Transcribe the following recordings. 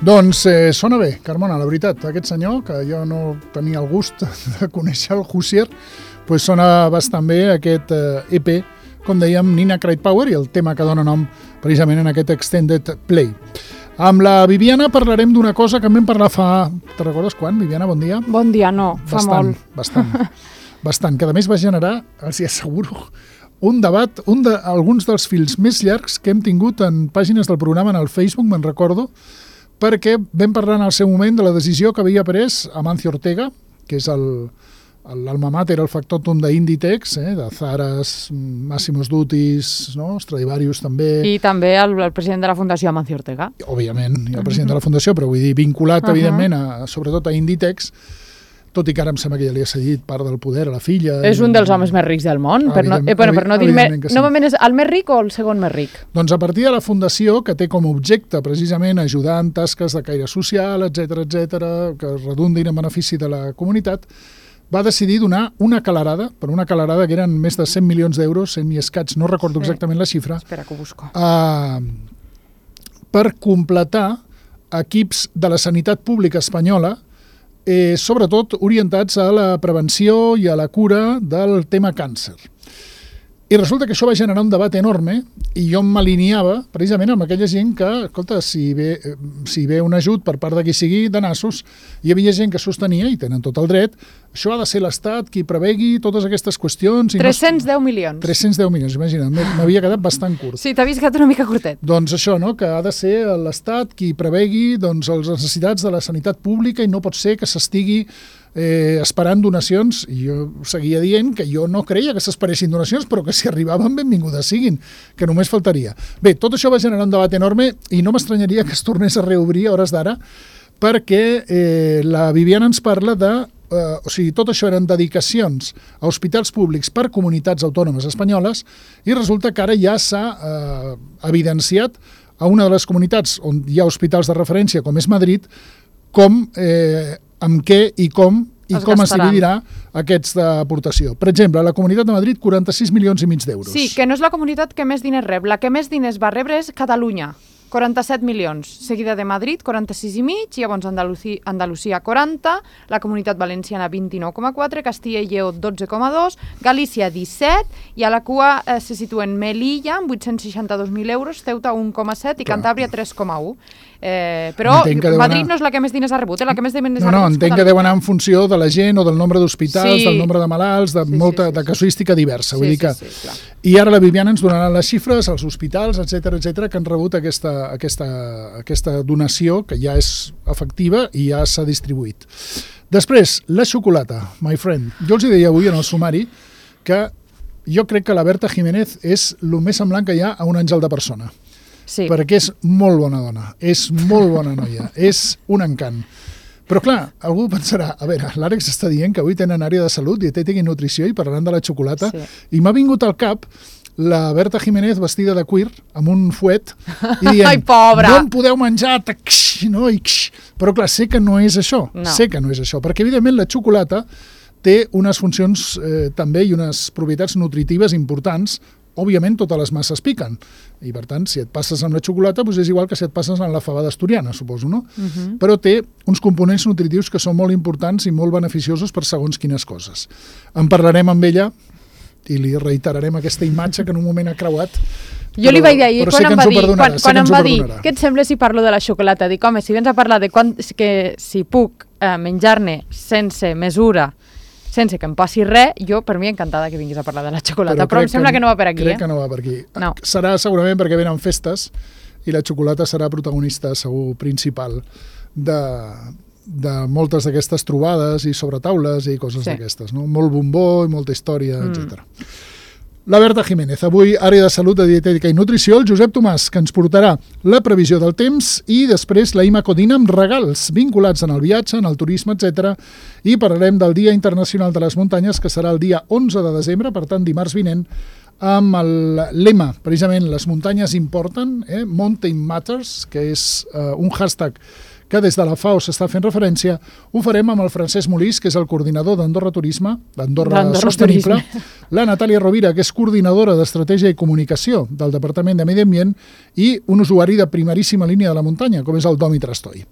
Doncs sona bé, Carmona, la veritat. Aquest senyor, que jo no tenia el gust de conèixer el Hozier, pues sona bastant bé aquest EP, com dèiem, Nina Cried Power, i el tema que dona nom precisament en aquest Extended Play. Amb la Viviana parlarem d'una cosa que en vam parlar fa... Te recordes quan, Viviana? Bon dia. Bon dia, no, fa molt. Bastant, que a més va generar, els hi asseguro, un debat, alguns dels fils més llargs que hem tingut en pàgines del programa en el Facebook, me'n recordo, perquè vam parlar en el seu moment de la decisió que havia pres Amancio Ortega, que és l'alma mater, el factotum d'Inditex, de Zaras, Massimo Duttis, no? Stradivarius també. I també el president de la Fundació Amancio Ortega. Òbviament, i el president de la Fundació, però vull dir, vinculat, evidentment, sobretot a Inditex, tot i que ara em sembla que ja li ha cedit part del poder a la filla. És un dels homes més rics del món, per no dir normalment és el més ric o el segon més ric? Doncs a partir de la Fundació, que té com a objecte precisament ajudar en tasques de caire social, etc, que redundin en benefici de la comunitat, va decidir donar una calarada, per una calarada que eren més de 100 milions d'euros, 100 i escaig, no recordo exactament la xifra, espera que ho busco, per completar equips de la sanitat pública espanyola, sobretot orientats a la prevenció i a la cura del tema càncer. I resulta que això va generar un debat enorme i jo m'alineava precisament amb aquella gent que, escolta, si ve un ajut per part de qui sigui de nassos, hi havia gent que sostenia, i tenen tot el dret, això ha de ser l'Estat qui prevegui totes aquestes qüestions. 310 milions. 310 milions, imagina't, m'havia quedat bastant curt. Sí, t'ha vist una mica curtet. Doncs això, no?, que ha de ser l'Estat qui prevegui les necessitats de la sanitat pública i no pot ser que s'estigui esperant donacions, i jo seguia dient que jo no creia que s'esperessin donacions, però que si arribaven benvingudes siguin, que només faltaria. Bé, tot això va generar un debat enorme i no m'estranyaria que es tornés a reobrir a hores d'ara, perquè la Viviana ens parla de... o sigui, tot això eren dedicacions a hospitals públics per comunitats autònomes espanyoles i resulta que ara ja s'ha evidenciat a una de les comunitats on hi ha hospitals de referència, com és Madrid, com... amb què i com es dividirà aquests d'aportació. Per exemple, a la Comunitat de Madrid, 46 milions i mig d'euros. Sí, que no és la comunitat que més diners rep. La que més diners va rebre és Catalunya, 47 milions, seguida de Madrid, 46 i mig, llavors Andalusia 40, la Comunitat Valenciana 29,4, Castilla i Lleó 12,2, Galícia 17, i a la cua se situen Melilla amb 862.000 euros, Ceuta 1,7 i Cantàbria 3,1. Però Madrid no és la que més diners ha rebut, la que més diners ha rebut. No, entenc que deu anar en funció de la gent o del nombre d'hospitals, del nombre de malalts, de casuística diversa. I ara la Viviana ens donarà les xifres, els hospitals, etc que han rebut aquesta donació, que ja és efectiva i ja s'ha distribuït. Després, la xocolata, my friend. Jo els deia avui en el sumari que jo crec que la Berta Jiménez és el més semblant que hi ha a un àngel de persona. Sí. Perquè és molt bona dona, és molt bona noia, és un encant. Però clar, algú pensarà, a veure, l'Àlex està dient que avui tenen àrea de salut, dietètica i nutrició i parlaran de la xocolata, i m'ha vingut al cap la Berta Jiménez vestida de cuir, amb un fuet, i dient, ai, pobra, no em podeu menjar, no? Però clar, sé que no és això, perquè evidentment la xocolata té unes funcions també i unes propietats nutritives importants. Òbviament, totes les masses piquen. I, per tant, si et passes amb la xocolata, doncs és igual que si et passes amb la fabada asturiana, suposo, no? Però té uns components nutritius que són molt importants i molt beneficiosos per segons quines coses. En parlarem amb ella i li reiterarem aquesta imatge que en un moment ha creuat. Jo li vaig dir ahir, quan em va dir què et sembla si parlo de la xocolata? Dic, home, si vens a parlar de si puc menjar-ne sense mesura, sense que em passi res, jo per mi encantada que vinguis a parlar de la xocolata, però em sembla que no va per aquí. Crec que no va per aquí. No. Serà segurament perquè venen festes i la xocolata serà protagonista segur principal de moltes d'aquestes trobades i sobretaules i coses d'aquestes, no? Molt bombó i molta història, etc. La Berta Jiménez, avui àrea de salut, de dietètica i nutrició, el Josep Tomàs, que ens portarà la previsió del temps, i després la Ima Codina amb regals vinculats en el viatge, en el turisme, etc. I parlarem del Dia Internacional de les Muntanyes, que serà el dia 11 de desembre, per tant dimarts vinent, amb el lema, precisament, les muntanyes importen, Mountain Matters, que és un hashtag que des de la FAO s'està fent referència, ho farem amb el Francesc Molís, que és el coordinador d'Andorra Turisme, d'Andorra Sostenible, la Natàlia Rovira, que és coordinadora d'Estratègia i Comunicació del Departament de Medi Ambient, i un usuari de primeríssima línia de la muntanya, com és el Domi Trastoi.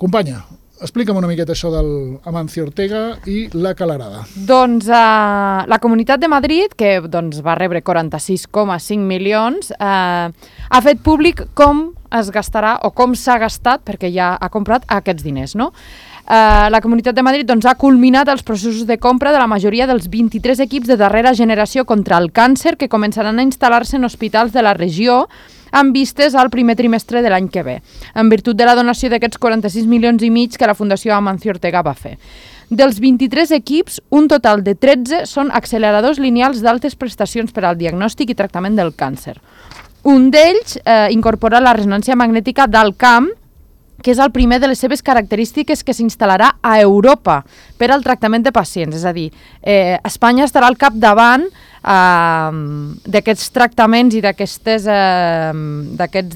Companya, explica'm una miqueta això del Amancio Ortega i la calarada. Doncs la Comunitat de Madrid, que va rebre 46,5 milions, ha fet públic com es gastarà o com s'ha gastat, perquè ja ha comprat aquests diners, no? La Comunitat de Madrid ha culminat els processos de compra de la majoria dels 23 equips de darrera generació contra el càncer que començaran a instal·lar-se en hospitals de la regió amb vistes al primer trimestre de l'any que ve, en virtut de la donació d'aquests 46 milions i mig que la Fundació Amancio Ortega va fer. Dels 23 equips, un total de 13 són acceleradors lineals d'altes prestacions per al diagnòstic i tractament del càncer. Un d'ells incorpora la ressonància magnètica d'alt camp, que és el primer de les seves característiques que s'instal·larà a Europa per al tractament de pacients. És a dir, Espanya estarà al capdavant d'aquests tractaments i d'aquests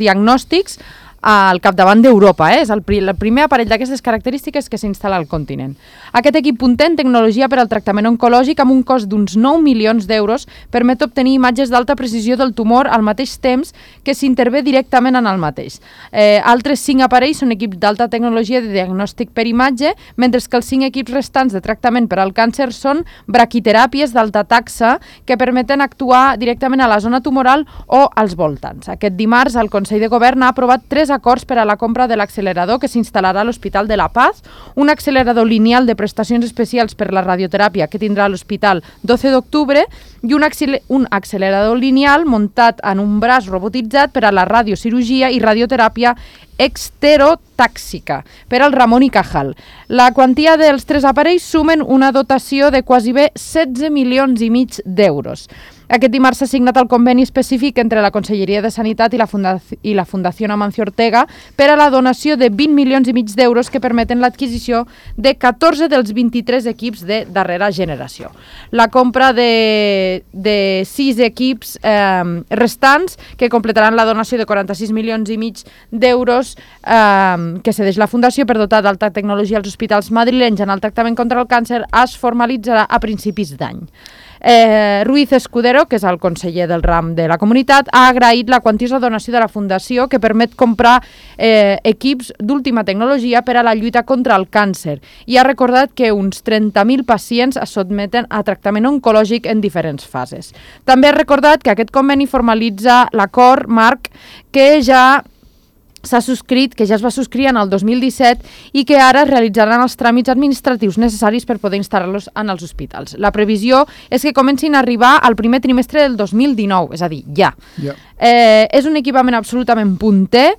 diagnòstics al capdavant d'Europa. És el primer aparell d'aquestes característiques que s'instal·la al continent. Aquest equip punter en tecnologia per al tractament oncològic amb un cost d'uns 9 milions d'euros permet obtenir imatges d'alta precisió del tumor al mateix temps que s'intervé directament en el mateix. Altres 5 aparells són equips d'alta tecnologia de diagnòstic per imatge, mentre que els 5 equips restants de tractament per al càncer són braquiteràpies d'alta taxa que permeten actuar directament a la zona tumoral o als voltants. Aquest dimarts el Consell de Govern ha aprovat 3 acords per a la compra de l'accelerador que s'instal·larà a l'Hospital de la Paz, un accelerador lineal de prestacions especials per la radioteràpia que tindrà a l'Hospital 12 d'octubre i un accelerador lineal muntat en un braç robotitzat per a la radiocirurgia i radioteràpia exterotàxica per al Ramon i Cajal. La quantia dels 3 aparells sumen una dotació de quasi bé 16 milions i mig d'euros. Aquest dimarts s'ha signat el conveni específic entre la Conselleria de Sanitat i la Fundació Amancio Ortega per a la donació de 20 milions i mig d'euros que permeten l'adquisició de 14 dels 23 equips de darrera generació. La compra de 6 equips restants que completaran la donació de 46 milions i mig d'euros que cedeix la Fundació per dotar d'alta tecnologia als hospitals madrilenys en el tractament contra el càncer es formalitzarà a principis d'any. Ruiz Escudero, que és el conseller del ram de la comunitat, ha agraït la quantiosa donació de la Fundació que permet comprar equips d'última tecnologia per a la lluita contra el càncer i ha recordat que uns 30.000 pacients es sotmeten a tractament oncològic en diferents fases. També ha recordat que aquest conveni formalitza l'acord marc que ja s'ha subscrit, que ja es va subscriure en el 2017 i que ara es realitzaran els tràmits administratius necessaris per poder instal·lar-los en els hospitals. La previsió és que comencin a arribar al primer trimestre del 2019, és a dir, ja. És un equipament absolutament punter,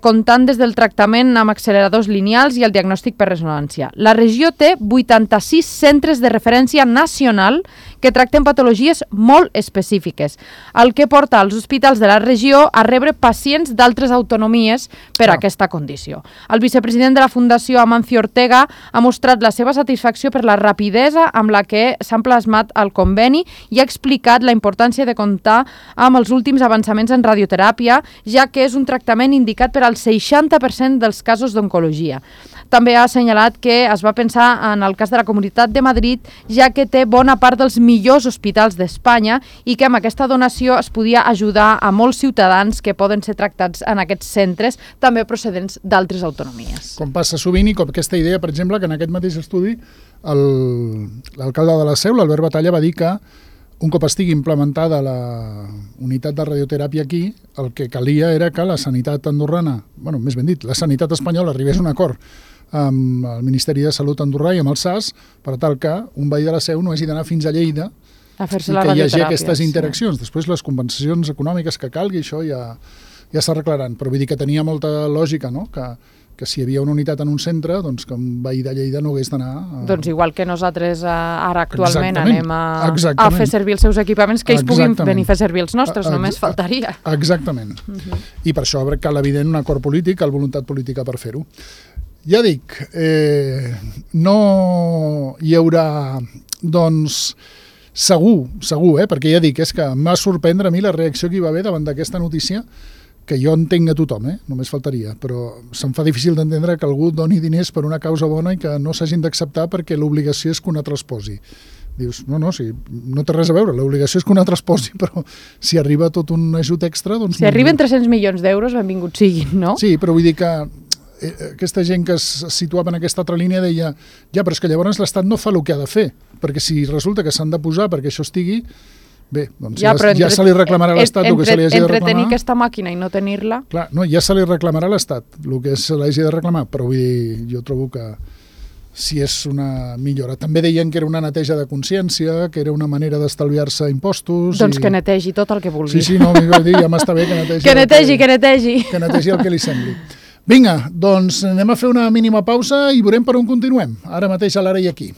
comptant des del tractament amb acceleradors lineals i el diagnòstic per ressonància. La regió té 86 centres de referència nacional que tracten patologies molt específiques, el que porta als hospitals de la regió a rebre pacients d'altres autonomies per a aquesta condició. El vicepresident de la Fundació Amancio Ortega ha mostrat la seva satisfacció per la rapidesa amb la que s'ha plasmat el conveni i ha explicat la importància de comptar amb els últims avançaments en radioteràpia, ja que és un tractament indicat per al 60% dels casos d'oncologia. També ha assenyalat que es va pensar en el cas de la Comunitat de Madrid, ja que té bona part dels millors hospitals d'Espanya i que amb aquesta donació es podia ajudar a molts ciutadans que poden ser tractats en aquests centres, també procedents d'altres autonomies. Com passa sovint i com aquesta idea, per exemple, que en aquest mateix estudi l'alcalde de la Seu, l'Albert Batalla, va dir que un cop estigui implementada la unitat de radioteràpia aquí, el que calia era que la sanitat andorrana, més ben dit, la sanitat espanyola arribés a un acord amb el Ministeri de Salut andorrà i amb el SAS, per tal que un veí de la Seu no hagi d'anar fins a Lleida a fer-se i la que hi hagi radioteràpia, aquestes interaccions. Després les compensacions econòmiques que calgui, això ja s'arreglaran. Però vull dir que tenia molta lògica, no?, que si hi havia una unitat en un centre, doncs que un veí de Lleida no hagués d'anar... Doncs igual que nosaltres ara actualment anem a fer servir els seus equipaments, que ells puguin venir a fer servir els nostres, només faltaria. Exactament. I per això cal evident un acord polític, cal voluntat política per fer-ho. Ja dic, no hi haurà, doncs, segur, perquè ja dic, és que em va sorprendre a mi la reacció que hi va haver davant d'aquesta notícia, que jo entenc a tothom, només faltaria, però se'm fa difícil d'entendre que algú doni diners per una causa bona i que no s'hagin d'acceptar perquè l'obligació és que un altre els posi. Dius, no, sí, no té res a veure, l'obligació és que un altre es posi, però si arriba tot un ajut extra... Doncs si arriben 300 milions d'euros, benvinguts siguin, no? Sí, però vull dir que aquesta gent que es situava en aquesta altra línia deia, ja, però és que llavors l'Estat no fa el que ha de fer, perquè si resulta que s'han de posar perquè això estigui, bé, doncs ja se li reclamarà a l'Estat el que se li hagi de reclamar. Entretenir aquesta màquina i no tenir-la... Clar, no, ja se li reclamarà a l'Estat el que se li hagi de reclamar, però vull dir, jo trobo que si és una millora. També deien que era una neteja de consciència, que era una manera d'estalviar-se impostos... Doncs que netegi tot el que vulgui. Sí, no, m'ho dir, ja m'està bé que netegi... Que netegi. Que netegi el que li sembli. Vinga, doncs anem a fer una mínima pausa i veurem per on continuem. Ara mateix a l'Ara i aquí.